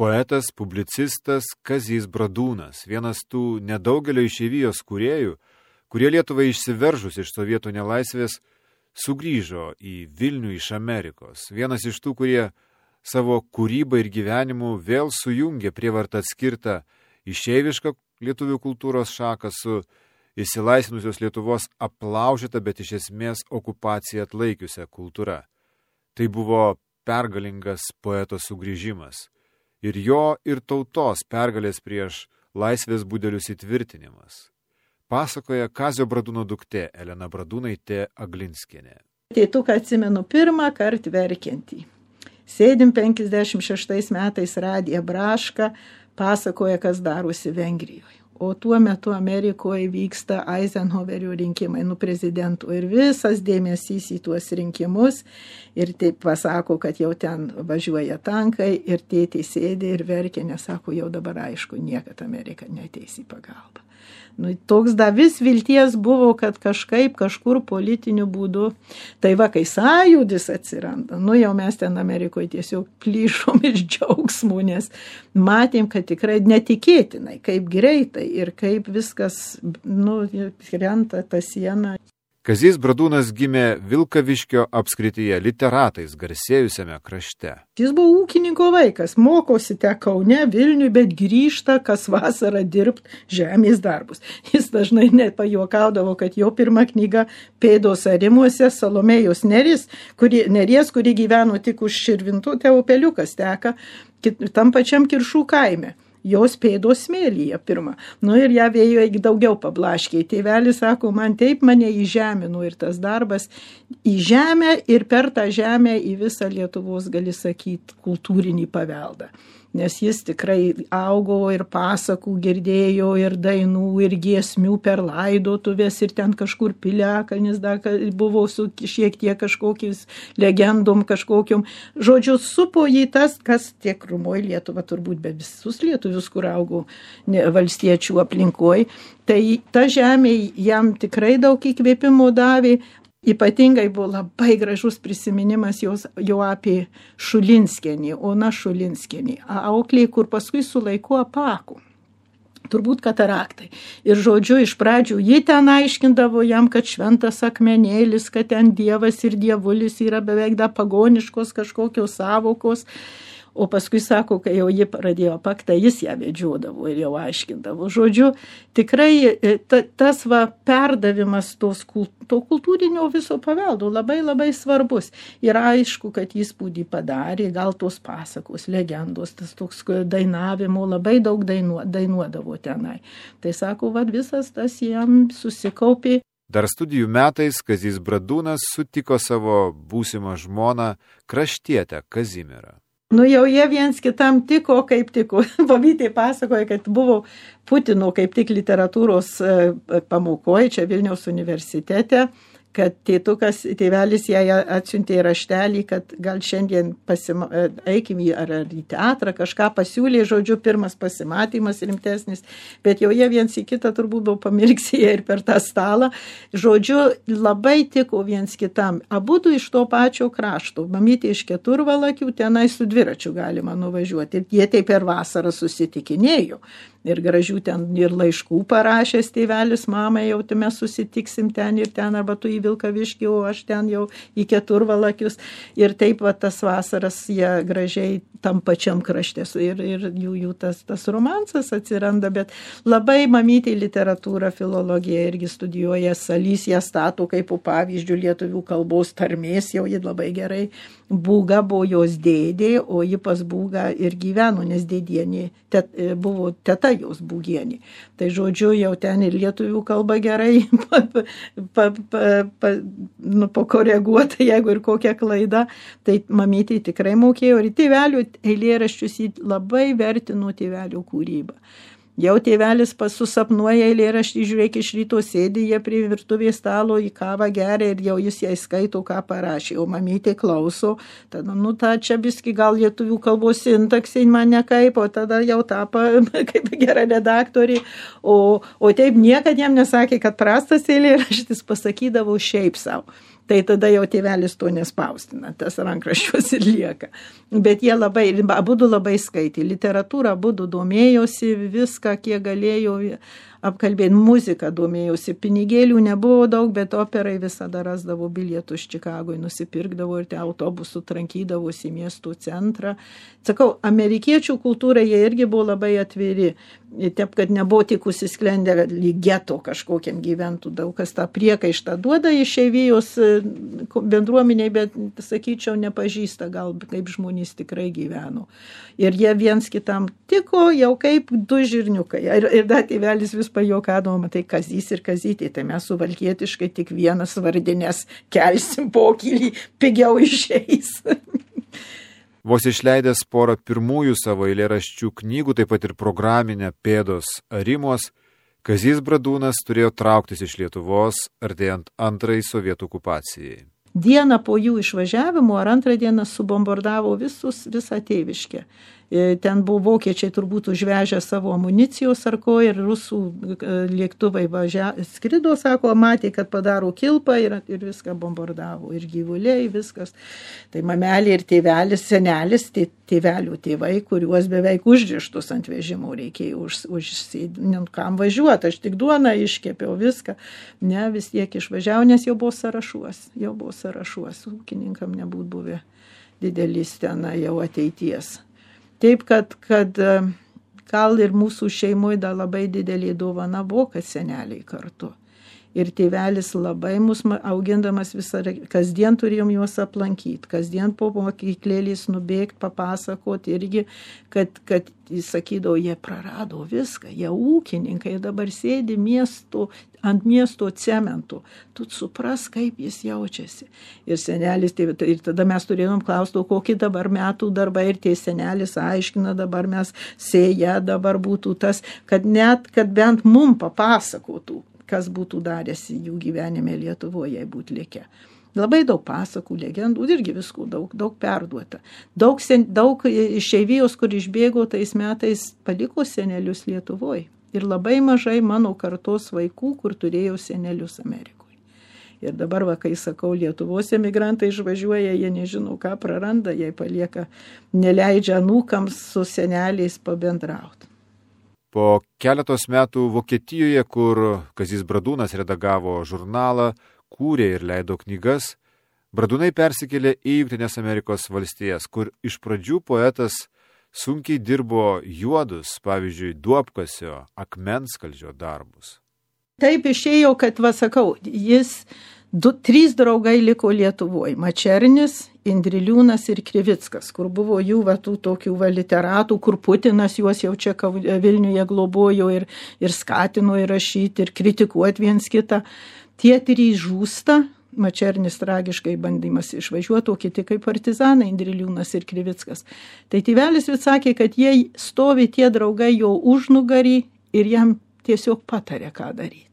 poetas, publicistas Kazys Bradūnas, vienas tų nedaugelio išeivijos kūrėjų, kurie Lietuvai išsiveržus iš sovietų nelaisvės sugrįžo į Vilnių iš Amerikos. Vienas iš tų, kurie savo kūrybą ir gyvenimu vėl sujungė prievartą atskirtą išeivišką lietuvių kultūros šaką su išsilaisvinusios Lietuvos aplaužyta, bet iš esmės okupaciją atlaikiusią kultūra. Tai buvo pergalingas poeto sugrįžimas ir jo ir tautos pergalės prieš laisvės budelius įtvirtinimas. Pasakoja Kazio Bradūno duktė Elena Bradūnaitė Aglinskienė. Tėtuką atsimenu pirmą kartą verkiantį. Sėdim 56 metais radiją Brašką, pasakoja, kas darosi Vengrijoje. O tuo metu Amerikoje vyksta Eisenhowerio rinkimai, prezidentų, ir visas dėmesys į tuos rinkimus. Ir taip pasako, kad jau ten važiuoja tankai ir tėtė sėdė ir verkė, nesako, jau dabar aišku, niekad Amerika neateis į pagalbą. Toks vis vilties buvo, kad kažkur politiniu būdu. Tai va, kai sąjūdis atsiranda, jau mes ten Amerikoje tiesiog plyšom iš džiaugsmų, nes matėm, kad tikrai netikėtinai, kaip greitai ir kaip viskas, krenta ta siena. Kazys Bradūnas gimė Vilkaviškio apskrityje, Literatais garsėjusiame krašte. Jis buvo ūkininko vaikas, mokosi te Kaune, Vilniui, bet grįžta kas vasarą dirbt žemės darbus. Jis dažnai net pajuokaudavo, kad jo pirma knyga Pėdos arimuose Salomėjos Neries, kuri gyveno tik už Širvintų, te upeliukas teka tam pačiam Kiršų kaime. Jos pėdos smėlyje pirmą. Ir ją vėjo daugiau pablaškiai. Tėvelis sako, man taip mane įžemino ir tas darbas į žemę ir per tą žemę į visą Lietuvos, gali sakyti, kultūrinį paveldą. Nes jis tikrai augo ir pasakų girdėjo, ir dainų, ir giesmių per laidotuvės, ir ten kažkur piliakalnis dar buvo su šiek tiek kažkokiais legendom, kažkokiom. Žodžiu, supo jį tas, kas tiek rumoji Lietuva turbūt, bet visus lietuvius, kur augo valstiečių aplinkoj. Tai ta žemė jam tikrai daug įkvėpimo davė. Ypatingai buvo labai gražus prisiminimas jo apie Šulinskienį, Ona Šulinskienį, auklė, kur paskui su laiku apako. Turbūt kataraktai. Ir žodžiu, iš pradžių ji ten aiškindavo jam, kad šventas akmenėlis, kad ten dievas ir dievulis yra beveik pagoniškos kažkokios savokos. O paskui sako, kai jau ji pradėjo paktą, jis ją vedžiodavo ir jau aiškindavo. Žodžiu, tikrai tas perdavimas to kultūrinio viso paveldo labai labai svarbus. Ir aišku, kad įspūdį padarė, gal tos pasakos, legendos, tas toks dainavimo, labai daug dainuodavo tenai. Tai sako, visas tas jam susikaupė. Dar studijų metais Kazys Bradūnas sutiko savo būsimą žmoną kraštietę Kazimierą. Jau jie viens kitam tiko, kaip tiko. Pavytė pasakoja, kad buvo Putino kaip tik literatūros pamokoje čia Vilniaus universitete, kad tėvelis jai atsiuntė raštelį, kad gal šiandien eikim ar į teatrą, kažką pasiūlė, žodžiu, pirmas pasimatymas rimtesnis, bet jau jie viens į kitą turbūt buvo pamirksėję ir per tą stalą. Žodžiu, labai tiko viens kitam. Abudu iš to pačio krašto. Mamytė iš Keturvalakių, tenai su dviračiu galima nuvažiuoti. Ir jie taip per vasarą susitikinėjo. Ir gražių ten ir laiškų parašęs tėvelis mamai, jau mes susitiksim ten ir ten, arba tu į Vilkaviškį, o aš ten jau į Keturvalakius. Ir taip tas vasaras jie gražiai tam pačiam krašte. Ir jų tas romansas atsiranda, bet labai mamytė literatūrą, filologiją irgi studijuoja, Salys ją stato kaip pavyzdžių lietuvių kalbos tarmės, jau ji labai gerai. Būga buvo jos dėdė, o ji pas Būgą ir gyveno, nes dėdienė buvo teta jos Būgienė. Tai žodžiu, jau ten ir lietuvių kalba gerai pakoreguota, jeigu ir kokia klaida, tai mamytė tikrai mokėjo. Ir tėvelių eilėraščius jį labai vertino tėvelių kūrybą. Jau tėvelis susapnuoja eilėraštį, žiūrėk, iš ryto sėdi jie prie virtuvės stalo, į kavą geria ir jau jis jai skaito, ką parašė, o mamytė klauso, tada, ta čia biski gal lietuvių kalbos sintaksai man nekaip, o tada jau tapo kaip gera redaktorė, o taip niekad jam nesakė, kad prastas eilėraštis, pasakydavo šiaip savo. tai tada jau tėvelis to nespaustina, tas rankraščius ir lieka. Bet jie abudu labai skaitė, literatūrą abudu domėjosi, viską, kiek galėjo apkalbėti, muziką domėjosi, pinigėlių nebuvo daug, bet operai visada rasdavo bilietus Čikagoje, nusipirkdavo ir te autobusų trankydavosi į miestų centrą. Sakau, amerikiečių kultūrai jie irgi buvo labai atviri, taip, kad nebuvo tik užsisklendę lyg geto kažkokiam gyventų, daug kas tą priekaištą duoda išeivijos bendruomeniai, bet, sakyčiau, nepažįsta gal kaip žmonės tikrai gyveno. Ir jie viens kitam tiko jau kaip du žirniukai. Ir dar tėvelis vis pajuokadavo, tai Kazys ir Kazytė, tai mes suvalkietiškai tik vienas vardinės kelsim pokylį, pigiau išeis. Vos išleidęs porą pirmųjų savo eilėraščių knygų, taip pat ir programinę Pėdos Arimos, Kazys Bradūnas turėjo trauktis iš Lietuvos, artėjant antrai sovietų okupacijai. Dieną po jų išvažiavimo ar antrą dieną subombardavo visą tėviškę. Ten buvo vokiečiai turbūt užvežę savo amunicijos ar ko ir rusų lėktuvai skrido, sako, matė, kad padaro kilpą ir viską bombardavo. Ir gyvuliai, viskas. Tai mamelė ir tėvelis, senelis, tėvelių tėvai, kuriuos beveik užrištus ant vežimų reikėjo kam važiuoti. Aš tik duoną iškepiau viską. Ne, vis tiek išvažiavau, nes jau buvo sąrašuos. Ūkininkam nebūtų buvę didelis ten jau ateities. Taip, kad gal ir mūsų šeimoje dar labai didelį dovana buvo, kad seneliai kartu. Ir tėvelis labai mus augindamas visą, kasdien turėjom juos aplankyti, kasdien po mokyklėlės nubėgti, papasakoti irgi, kad jis sakydavo, jie prarado viską, jie ūkininkai, dabar sėdi ant miesto cemento, tu supras, kaip jis jaučiasi. Ir senelis, ir tada mes turėjom klausti, kokį dabar metų darbą, ir tie senelis aiškina, dabar mes sėja, dabar būtų tas, kad bent mum papasakotų, kas būtų darėsi jų gyvenime Lietuvoje, jei būtų likę. Labai daug pasakų, legendų, irgi viskų daug perduota. Daug išeivijos, kur išbėgo tais metais, paliko senelius Lietuvoje. Ir labai mažai mano kartos vaikų, kur turėjo senelius Amerikoje. Ir dabar, kai sakau, Lietuvos emigrantai išvažiuoja, jie nežino, ką praranda, jei palieka, neleidžia anūkams su seneliais pabendrauti. Po keletos metų Vokietijoje, kur Kazys Bradūnas redagavo žurnalą, kūrė ir leido knygas, Bradūnai persikėlė į Jungtines Amerikos valstijas, kur iš pradžių poetas sunkiai dirbo juodus, pavyzdžiui, duobkasio, akmenskaldžio darbus. Taip išėjo, kad, trys draugai liko Lietuvoje. Mačernis, Indriliūnas ir Krivickas, kur buvo jų tokių literatų, kur Putinas juos jau čia Vilniuje globojo ir skatino įrašyti ir kritikuoti viens kitą. Tie trys žūsta, Mačernis tragiškai bandymas išvažiuoti, o kiti kaip partizanai, Indriliūnas ir Krivickas. Tai tėvelis vis sakė, kad jie stovi tie draugai jo užnugarį ir jam tiesiog patarė, ką daryti.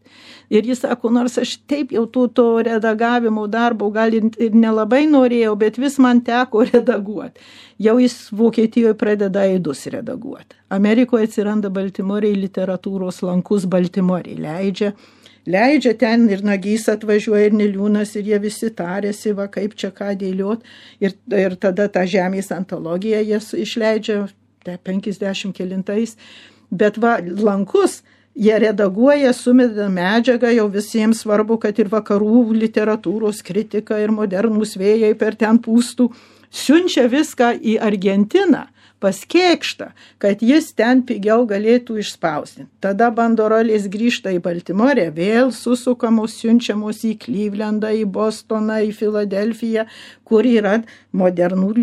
Ir jis sako, nors aš taip jau to redagavimo darbo gal ir nelabai norėjau, bet vis man teko redaguoti. Jau jis Vokietijoje pradeda eidus redaguoti. Amerikoje atsiranda Baltimorėje literatūros lankus Baltimorėje. Leidžia ten ir Nagys atvažiuoja ir Niliūnas ir jie visi tarėsi, kaip čia ką dėliot. Ir tada tą Žemės antologiją jie išleidžia 50 kelintais. Bet lankus jie redaguoja, sumeda medžiagą, jau visiems svarbu, kad ir vakarų literatūros kritika ir modernūs vėjai per ten pūstų. Siunčia viską į Argentiną, pas Kėkštą, kad jis ten pigiau galėtų išspausdinti. Tada bandorolės grįžta į Baltimorę, vėl susukamos, siunčiamos į Klyvlendą, į Bostoną, į Filadelfiją, kur yra modernų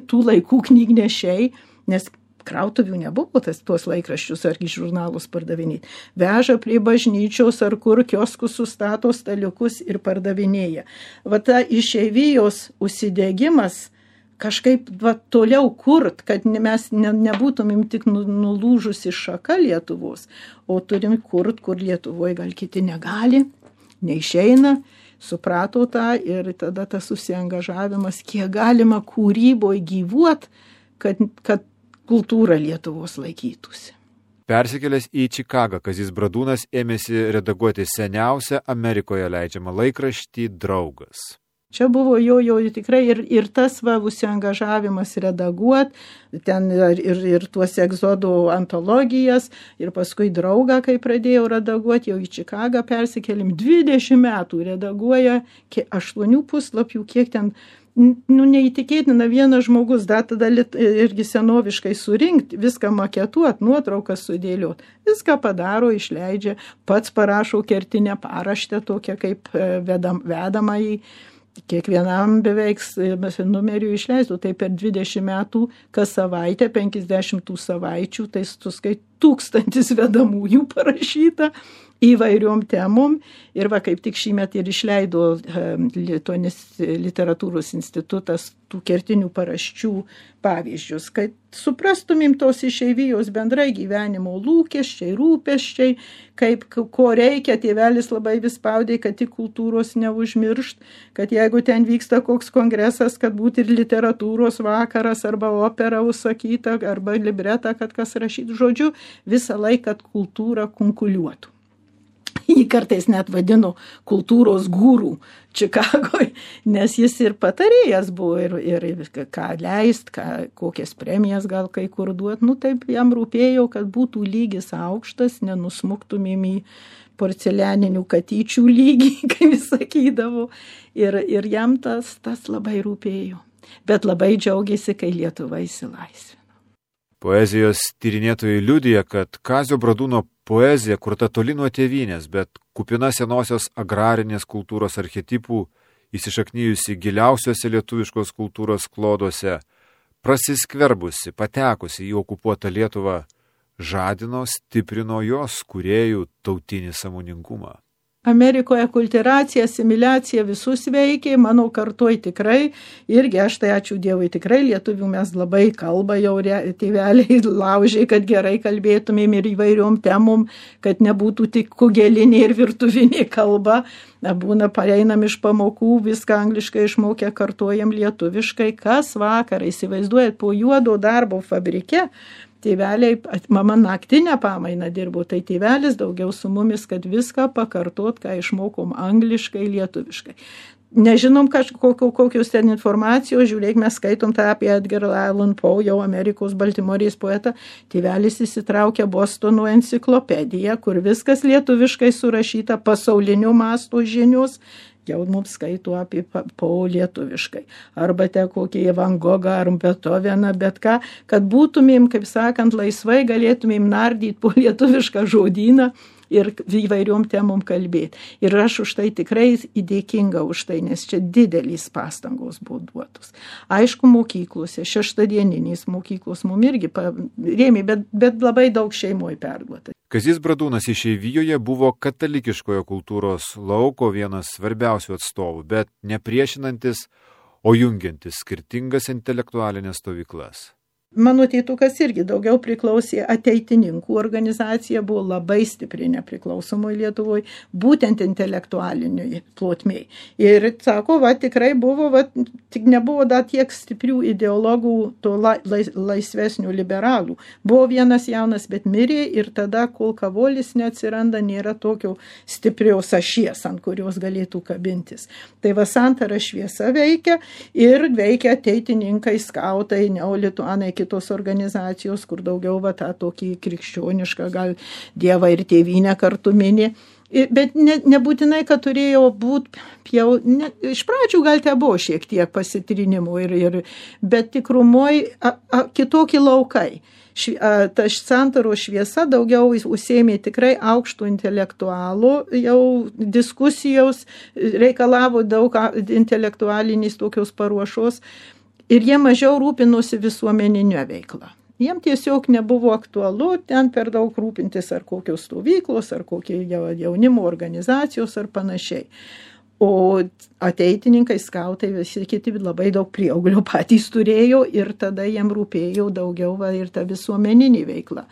tų laikų knygnešiai, nes krautuvių nebuvo tuos laikraščius ar žurnalus pardavinėti. Veža prie bažnyčios ar kur kioskus sustato staliukus ir pardavinėja. Ta išeivijos užsidegimas kažkaip toliau kurt, kad mes nebūtumėm tik nulūžusi šaka Lietuvos, o turim kurt, kur Lietuvoje gal kiti negali, neišeina, suprato tą ir tada tas susiangažavimas, kiek galima kūryboje gyvuot, kad kultūra Lietuvos laikytųsi. Persikėlęs į Čikagą, Kazys Bradūnas ėmėsi redaguoti seniausią Amerikoje leidžiamą laikraštį Draugas. Čia buvo jo tikrai ir tas užsiangažavimas redaguot, ten ir tuos egzodų antologijas, ir paskui draugą, kai pradėjau redaguoti, jau į Čikagą persikėlim, 20 metų redaguoja 8 puslapių, kiek ten, neįtikėtina, vienas žmogus, tada irgi senoviškai surinkti, viską maketuot, nuotraukas sudėliot, viską padaro, išleidžia, pats parašo kertinę paraštę, tokią kaip vedama į kiekvienam beveik numerių išleistų, tai per 20 metų kas savaitę, 50 savaičių, tai suskai 1000 vedamųjų parašyta įvairiom temom. Ir kaip tik šįmet ir išleido Lituanis literatūros institutas tų kertinių paraščių pavyzdžius, kad suprastumėm tos išeivijos bendrai gyvenimo lūkesčiai, rūpesčiai, ko reikia, tėvelis labai vis spaudė, kad tik kultūros neužmiršt, kad jeigu ten vyksta koks kongresas, kad būtų ir literatūros vakaras, arba opera užsakyta, arba libretą, kad kas rašytų, žodžiu, visą laiką, kad kultūra kunkuliuotų. Jį kartais net vadino kultūros gūrų Čikagoje, nes jis ir patarėjas buvo, ir ką leist, kokias premijas gal kai kur duot. Taip jam rūpėjo, kad būtų lygis aukštas, nenusmuktumėm į porcelianinių katyčių lygį, kaip jis sakydavo. Ir jam tas labai rūpėjo. Bet labai džiaugiasi, kai Lietuva išsilaisvino. Poezijos tyrinėtojai liudija, kad Kazio Bradūno poezija kurta toli nuo tėvynės, bet kupina senosios agrarinės kultūros archetipų, įsišaknyjusi giliausiuose lietuviškos kultūros kloduose, prasiskverbusi, patekusi į okupuotą Lietuvą, žadino, stiprino jos kūrėjų tautinį sąmoningumą. Amerikoje kulturacija, asimiliacija visus veikia, mano kartoj tikrai, irgi aš tai ačiū Dievui tikrai, lietuvių mes labai kalba jau tėveliai laužiai, kad gerai kalbėtumėm ir įvairiom temom, kad nebūtų tik kugelinė ir virtuvinė kalba. Būna pareinam iš pamokų, viską angliškai išmokę, kartuojam lietuviškai, kas vakarą, įsivaizduojat, po juodo darbo fabrike, tėveliai, mama naktinę pamainą dirbo, tai tėvelis daugiau su mumis, kad viską pakartot, ką išmokom angliškai, lietuviškai. Nežinom kokios ten informacijos, žiūrėk, mes skaitom tą apie Edgar Allan Poe, jau Amerikos Baltimorės poetą, tėvelis įsitraukė Bostono enciklopediją, kur viskas lietuviškai surašyta, pasaulinio masto žinios, jau mums skaito apie Poe lietuviškai. Arba te kokį Van Gogą ar Beethoveną, bet ką, kad būtumėm, kaip sakant, laisvai galėtumėm nardyti po lietuvišką žodyną ir įvairiom temom kalbėti. Ir aš už tai tikrai įdėkinga už tai, nes čia didelys pastangos buvo duotos. Aišku, mokyklose, šeštadieninės mokyklos mums irgi rėmė, bet labai daug šeimoje perduota. Kazys Bradūnas išeivijoje buvo katalikiškojo kultūros lauko vienas svarbiausių atstovų, bet nepriešinantis, o jungiantis skirtingas intelektualinės stovyklas. Mano tėtukas irgi daugiau priklausė ateitininkų organizacija, buvo labai stipri nepriklausomoje Lietuvoje, būtent intelektualiniai plotmėj. Ir sako, tikrai buvo, tik nebuvo dar tiek stiprių ideologų, to laisvesnių liberalų. Buvo vienas jaunas, bet mirė ir tada, kol Kavolis neatsiranda, nėra tokio stiprios ašies, ant kurios galėtų kabintis. Tai santara šviesa veikia ir veikia ateitininkai, skautai, neolituanai, kitos organizacijos, kur daugiau tą tokį krikščionišką, gal Dievą ir tėvynę kartu mini. Bet nebūtinai, kad turėjo būti iš pradžių gal te buvo šiek tiek pasitrinimų, bet tikrumoje kitokį laukai. Ta santaro šviesa daugiau užsėmė tikrai aukštų intelektualų, jau diskusijos reikalavo daug intelektualinės tokios paruošos. Ir jie mažiau rūpinosi visuomeninio veiklą. Jiem tiesiog nebuvo aktualu ten per daug rūpintis ar kokios stovyklos, ar kokie jaunimo organizacijos ar panašiai. O ateitininkai, skautai, visi kiti labai daug prieauglio patys turėjo ir tada jiem rūpėjo daugiau ir ta visuomeninė veikla.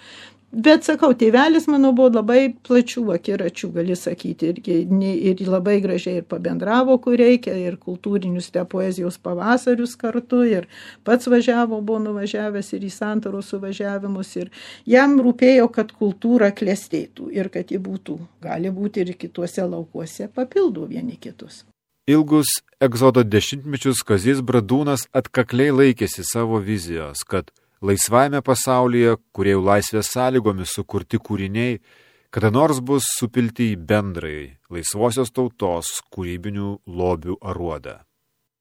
Bet, sakau, tėvelis, mano, buvo labai plačių akiračių, gali sakyti, ir labai gražiai ir pabendravo, kur reikia, ir kultūrinius poezijos pavasarius kartu, ir pats buvo nuvažiavęs ir į santaros suvažiavimus, ir jam rūpėjo, kad kultūra klestėtų ir kad ji gali būti ir kituose laukuose papildo vieni kitus. Ilgus egzodo dešimtmečius Kazys Bradūnas atkakliai laikėsi savo vizijos, kad laisvajame pasaulyje, kūrėjų laisvės sąlygomis sukurti kūriniai, kada nors bus supilti į bendrai laisvosios tautos kūrybinių lobių aruodą.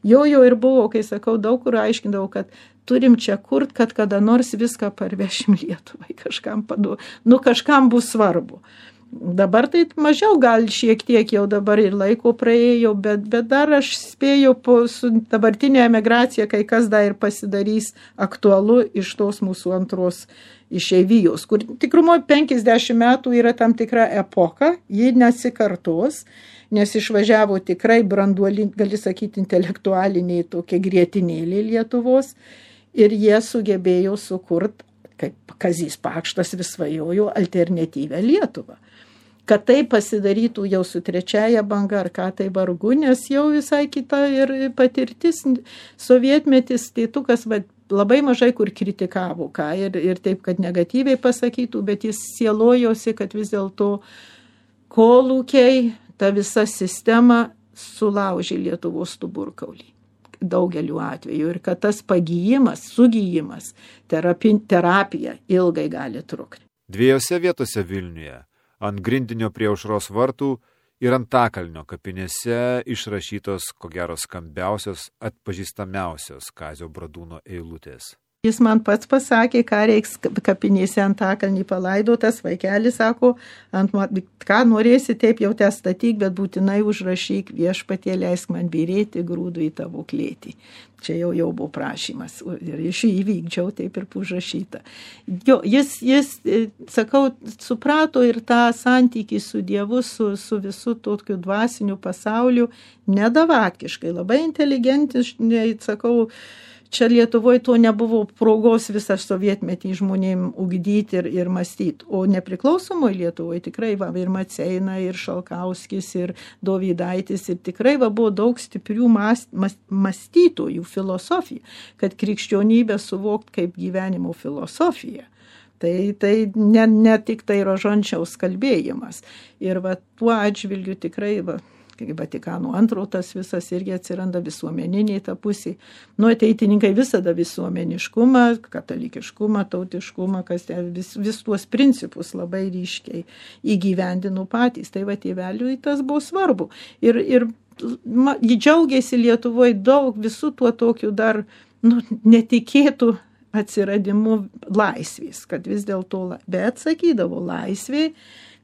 Jo ir buvo, kai sakau, daug kur aiškindavau, kad turim čia kurt, kad kada nors viską parvešim Lietuvai, kažkam bus svarbu. Dabar tai mažiau, gal šiek tiek jau dabar ir laiko praėjo, bet dar aš spėjau su dabartinė emigracija, kai kas dar ir pasidarys aktualu iš tos mūsų antros išeivijos, kur tikrumo 50 metų yra tam tikra epoka, ji nesikartos, nes išvažiavo tikrai branduoliniai, gali sakyti, intelektualiniai tokie grietinėliai Lietuvos ir jie sugebėjo sukurti, kaip Kazys Pakštas vis svajojo, alternatyvę Lietuvą. Kad tai pasidarytų jau su trečiaja banga, ar ką tai vargu, nes jau visai kita ir patirtis, sovietmetis, tai tukas labai mažai kur kritikavo, ką ir taip, kad negatyviai pasakytų, bet jis sielojosi, kad vis dėlto kolūkiai, ta visa sistema sulaužė Lietuvos stuburkaulį daugeliu atveju ir kad tas pagijimas, sugijimas, terapija ilgai gali trukti. Dviejose vietose Vilniuje, ant grindinio prie Aušros vartų ir Antakalnio kapinėse išrašytos, ko gero, skambiausios, atpažįstamiausios Kazio Bradūno eilutės. Jis man pats pasakė, ką reiks kapinėse Antakalnį palaidotas, vaikelis sako, ką norėsi, taip jau te statyk, bet būtinai užrašyk, Viešpatie leisk man byrėti grūdų į tavo klėtį. Čia jau buvo prašymas ir iš jį įvykdžiau, taip ir užrašyta. Jis, sakau, suprato ir tą santykį su Dievu, su visu tokiu dvasiniu pasauliu, nedavatkiškai, labai inteligentiškai, sakau, čia Lietuvoje to nebuvo progos visą sovietmetį žmonėm ugdyti ir mąstyti. O nepriklausomoje Lietuvoje tikrai ir Maceina, ir Šalkauskis, ir Dovydaitis, ir tikrai buvo daug stiprių mąstytojų filosofija, kad krikščionybę suvokt kaip gyvenimo filosofiją. Tai ne tik tai Rožančiaus kalbėjimas. Ir tuo atžvilgiu tikrai Vatikano antro tas visas irgi atsiranda visuomeniniai ta pusė. Ateitininkai visada visuomeniškumą, katalikiškumą, tautiškumą, kas vis tuos principus labai ryškiai įgyvendino patys. Tai tėveliui tas buvo svarbu. Ir jį džiaugiasi Lietuvoje daug visų tuo tokiu dar netikėtų atsiradimu laisvės, kad vis dėlto, bet sakydavo, laisvė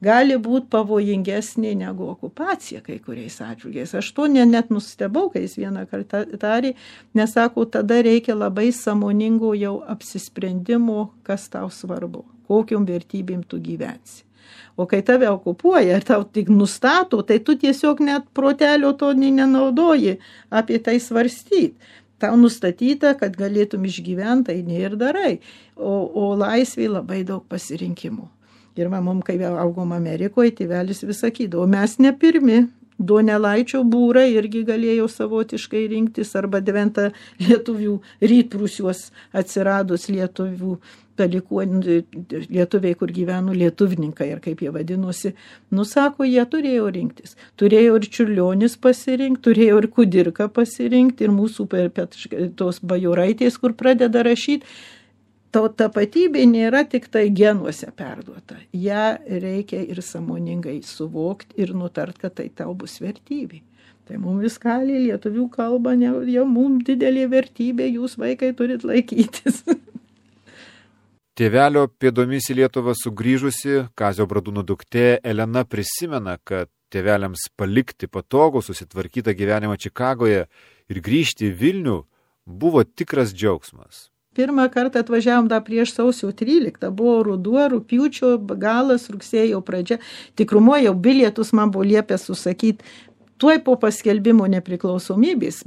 gali būti pavojingesnė negu okupacija kai kuriais atžvilgiais. Aš to net nustebau, kai jis vieną kartą tarė, nes sako, tada reikia labai sąmoningo jau apsisprendimo, kas tau svarbu, kokiom vertybėm tu gyvensi. O kai tave okupuoja ir tau tik nustato, tai tu tiesiog net protelio to nenaudoji apie tai svarstyti. Tau nustatyta, kad galėtum išgyventi, tai ne ir darai. O laisvėj labai daug pasirinkimų. Ir mums, kai augom Amerikoje, tėvelis vis sakydavo, mes ne pirmi, Donelaičio būrai irgi galėjo savotiškai rinktis, arba Deventa lietuvių rytprūsiuos atsiradus lietuvių lietuviai, kur gyveno lietuvininkai, ir kaip jie vadinosi, sako, jie turėjo rinktis. Turėjo ir Čiurlionis pasirinkti, turėjo ir Kudirka pasirinkti, ir mūsų tos bajoraitės, kur pradeda rašyti. Tapatybė nėra tik tai genuose perduota. Ja reikia ir sąmoningai suvokti ir nutart, kad tai tau bus vertybė. Tai mums viskaliai lietuvių kalba, jau mums didelė vertybė, jūs vaikai turit laikytis. Tėvelio pėdomis į Lietuvą sugrįžusi Kazio Bradūno duktė Elena prisimena, kad tėveliams palikti patogų susitvarkytą gyvenimą Čikagoje ir grįžti į Vilnių buvo tikras džiaugsmas. Pirmą kartą atvažiavom dar prieš sausio 13, buvo ruduo, rugpjūčio galas, rugsėjo pradžia. Tikrumo jau bilietus man buvo liepęs susakyti. Tuoj po paskelbimo nepriklausomybės,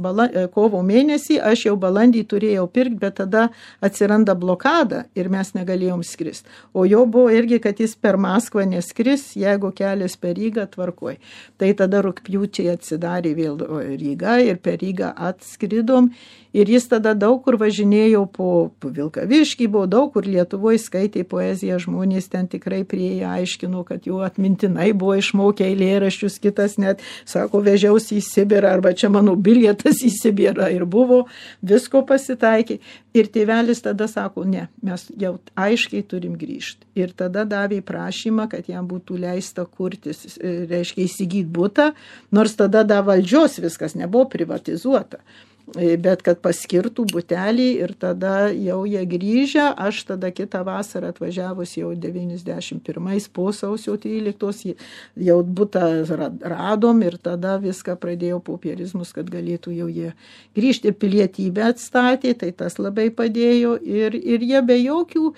kovo mėnesį, aš jau balandį turėjau pirkti, bet tada atsiranda blokada ir mes negalėjom skristi. O jo buvo irgi, kad jis per Maskvą neskris, jeigu kelias per Rygą, tvarkoj. Tai tada rugpjūčiai atsidarė vėl Ryga ir per Rygą atskridom. Ir jis tada daug kur važinėjo po Vilkaviškį, buvo daug kur Lietuvoje skaitė poeziją, žmonės ten tikrai prieėję aiškino, kad jų atmintinai buvo išmokę eilėraščius, kitas net, sako, vežiausi į Sibirą, arba čia mano bilietas į Sibirą ir buvo, visko pasitaikė. Ir tėvelis tada sako, ne, mes jau aiškiai turim grįžti. Ir tada davė prašymą, kad jam būtų leista kurtis, reiškia įsigyti butą, nors tada valdžios viskas nebuvo privatizuota. Bet kad paskirtų butelį ir tada jau jie grįžę, aš tada kitą vasarą atvažiavus jau 91 po sausio 13 jau butą radom ir tada viską pradėjo popierizmus, kad galėtų jau jie grįžti. Pilietybę atstatė, tai tas labai padėjo ir jie be jokių,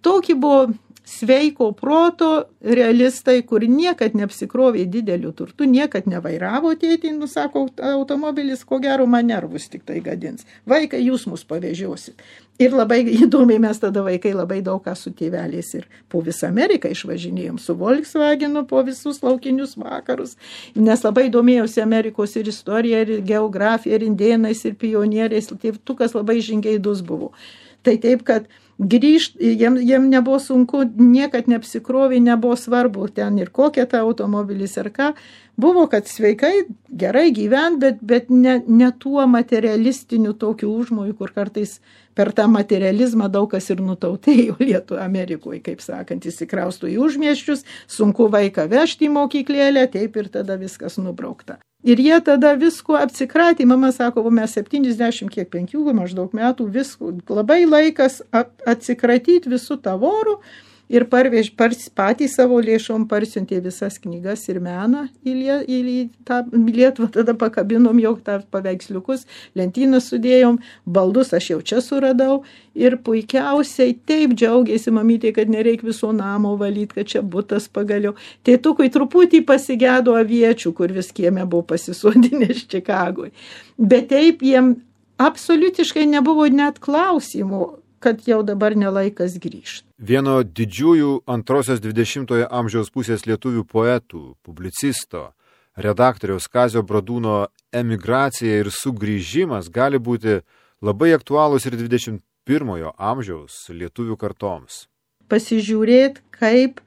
tokie buvo sveiko proto realistai, kur niekad neapsikrovė didelių turtų, niekad nevairavo tėtį, sako, automobilis ko gero man nervus tik tai gadins. Vaikai, jūs mus pavežiosit. Ir labai įdomiai mes tada vaikai labai daug ką su tėveliais ir po visą Ameriką išvažinėjom su Volkswagenu po visus laukinius vakarus, nes labai domėjausi Amerikos ir istorija, ir geografija, ir indėnais, ir pionieriais, tėvtukas labai žingeidus buvo. Tai taip, kad grįžti, jiem nebuvo sunku, niekad neapsikrovė, nebuvo svarbu ten ir kokia ta automobilis ar ką. Buvo, kad sveikai, gerai gyvent, bet ne tuo materialistiniu tokiu užmoju, kur kartais per tą materializmą daug kas ir nutautėjo Lietuvoje, Amerikoje, kaip sakant, įsikrausto į užmiesčius, sunku vaiką vežti į mokyklėlę, taip ir tada viskas nubraukta. Ir jie tada visko apsikratė, mama sako, mes 75 maždaug metų, visko, labai laikas atsikratyti visų tavorų ir patys savo lėšom parsiuntė visas knygas ir meną į tą Lietuvą, tada pakabinom jau tą paveiksliukus, lentyną sudėjom, baldus aš jau čia suradau ir puikiausiai taip džiaugiasi mamytė, kad nereikia viso namo valyti, kad čia butas pagaliau. Tėtukui truputį pasigėdo aviečių, kur vis kieme buvo pasisodinęs Čikagoje. Bet taip jiem absoliutiškai nebuvo net klausimų, kad jau dabar nelaikas grįžti. Vieno didžiųjų antrosios 20-ojo amžiaus pusės lietuvių poetų, publicisto, redaktoriaus Kazio Bradūno emigracija ir sugrįžimas gali būti labai aktualūs ir 21-ojo amžiaus lietuvių kartoms. Pasižiūrėt, kaip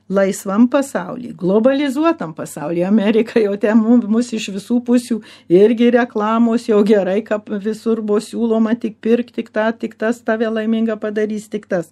laisvam pasaulyje, globalizuotam pasaulyje, Amerika jau ten mus iš visų pusių irgi reklamos, jau gerai, kad visur buvo siūloma tik pirk, tik tas tave laimingą padarys, tik tas.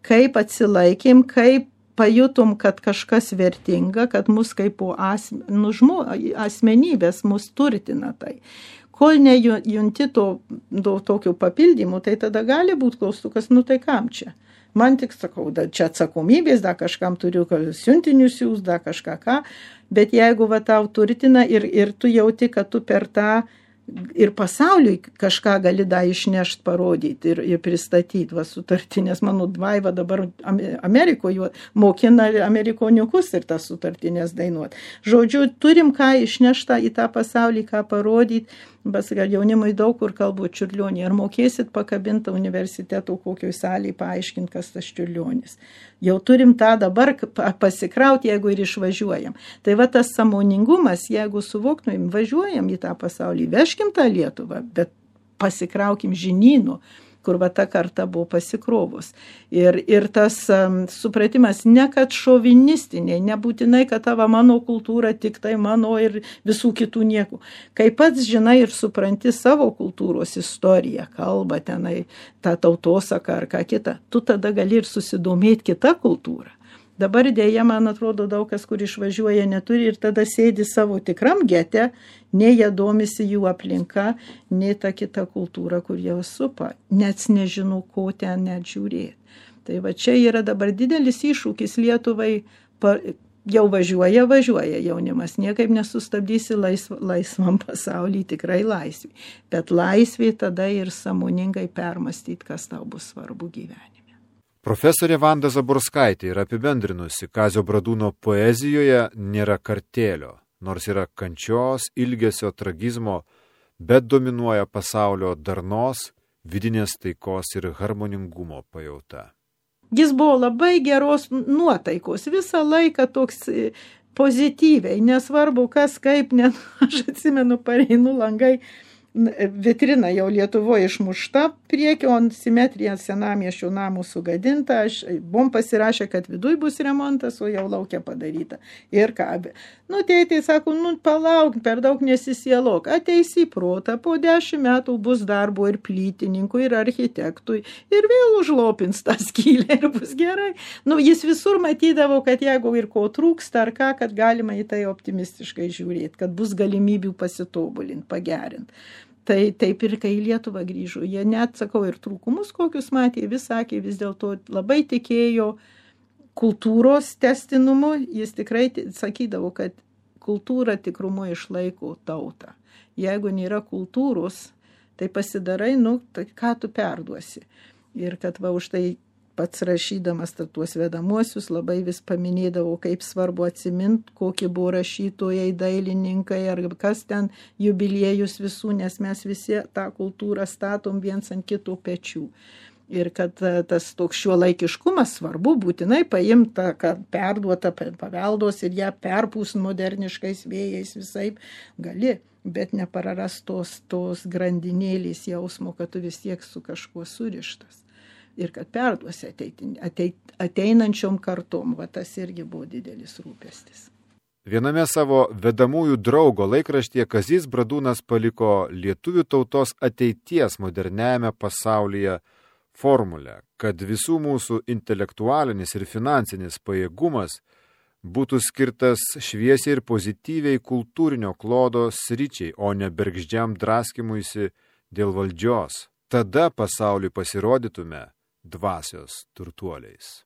Kaip atsilaikėm, kaip pajutom, kad kažkas vertinga, kad mus kaip po asmenybės mus turtina tai. Kol nejunti tokių papildymų, tai tada gali būti klaustukas, tai kam čia? Man tik sakau, čia atsakomybės, kažkam turiu siuntinių siūs, kažką ką, bet jeigu tau turtina ir tu jauti, kad tu per tą ir pasauliui kažką gali išnešti, parodyti ir pristatyti sutartį, nes mano dvaiva dabar Amerikoje mokina amerikoniukus ir tas sutartinės dainuoti. Žodžiu, turim ką išnešti į tą pasaulį, ką parodyti. Gal jaunimui daug kur kalbu Čiurlionį. Ar mokėsit pakabintą universiteto kokioj salėje paaiškinti, kas tas Čiurlionis. Jau turim tą dabar pasikrauti, jeigu ir išvažiuojam. Tai tas sąmoningumas, jeigu suvoktumėm, važiuojam į tą pasaulį, veškim tą Lietuvą, bet pasikraukim žinynų, kur ta karta buvo pasikrovus. Ir tas supratimas, ne kad šovinistiniai, nebūtinai, kad tavo mano kultūra tik tai mano ir visų kitų nieko. Kai pats žinai ir supranti savo kultūros istoriją, kalbą tenai, tą tautosaką ar ką kitą, tu tada gali ir susidomėti kitą kultūrą. Dabar dėja, man atrodo, daug kas, kur išvažiuoja, neturi ir tada sėdi savo tikram gete, nei jie domisi jų aplinka, nei ta kita kultūra, kur jau supa, net nežinau, ko ten net žiūrėti. Tai čia yra dabar didelis iššūkis Lietuvai, jau važiuoja jaunimas, niekaip nesustabdysi laisvam pasaulyje, tikrai laisvė. Bet laisvė tada ir sąmoningai permastyti, kas tau bus svarbu gyvenime. Profesorė Vanda Zaborskaitė yra apibendrinusi, Kazio Bradūno poezijoje nėra kartėlio, nors yra kančios, ilgesio, tragizmo, bet dominuoja pasaulio darnos, vidinės taikos ir harmoningumo pajauta. Jis buvo labai geros nuotaikos, visą laiką toks pozityviai, nesvarbu kas kaip, aš atsimenu, pareinu langai, vitrina jau Lietuvoje išmušta priekio, o simetrija senamiesčio namų sugadinta. Buvom pasirašę, kad viduj bus remontas, o jau laukia padaryta. Ir ką? Tėtė sako, palauk, per daug nesisielok. Ateis į protą, po 10 metų bus darbo ir plytininkui, ir architektui, ir vėl užlopins tą skylę ir bus gerai. Jis visur matydavo, kad jeigu ir ko trūksta, ar ką, kad galima į tai optimistiškai žiūrėti, kad bus galimybių pasitobulinti, pagerinti. Tai taip ir kai į Lietuvą grįžo, jie net, sakau, ir trūkumus kokius matė, vis sakė, vis dėlto labai tikėjo kultūros tęstinumu, jis tikrai sakydavo, kad kultūra tikrumu išlaiko tautą. Jeigu nėra kultūros, tai pasidarai, tai ką tu perduosi. Ir kad už tai pats rašydamas tuos vedamuosius labai vis paminėdavo, kaip svarbu atsiminti, kokie buvo rašytojai, dailininkai ar kas ten jubiliejus visų, nes mes visi tą kultūrą statom viens ant kitų pečių. Ir kad tas toks šiuolaikiškumas svarbu būtinai paimta, kad perduota paveldos ir ją perpūs moderniškais vėjais visaip gali, bet nepararas tos grandinėlės jausmo, kad tu vis tiek su kažkuo surištas. Ir kad perduosi ateinančiom kartom, tas irgi buvo didelis rūpestis. Viename savo vedamųjų draugo laikraštyje Kazys Bradūnas paliko lietuvių tautos ateities moderniajame pasaulyje formulę, kad visų mūsų intelektualinis ir finansinis pajėgumas būtų skirtas šviesiai ir pozityviai kultūrinio klodo sričiai, o ne bergždžiam draskimuisi dėl valdžios. Tada pasauliui pasirodytume dvasios turtuoliais.